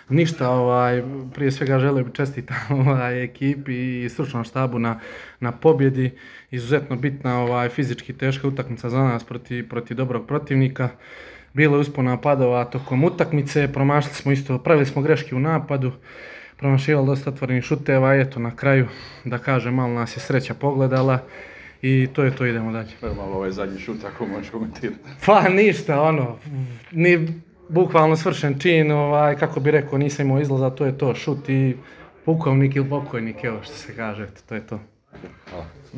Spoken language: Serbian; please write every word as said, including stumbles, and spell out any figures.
Ništa, ovaj, prije svega želio bi čestitam ovaj, ekipi i stručnom štabu na, na pobjedi. Izuzetno bitna ovaj, fizički teška utakmica za nas protiv, protiv dobrog protivnika. Bilo je uspona padova tokom utakmice, promašili smo isto, pravili smo greške u napadu, promašivali dosta otvorenih šuteva i eto na kraju, da kažem, malo nas je sreća pogledala i to je to, idemo dalje. To je malo ovaj zadnji šut, ako možeš komentirati. Pa ništa, ono, ni bukvalno svršen čin, ovaj, kako bi rekao, nisam imao izlaza, to je to, šut i pukovnik ili pokojnik, evo što se kaže, eto, to je to. Hvala.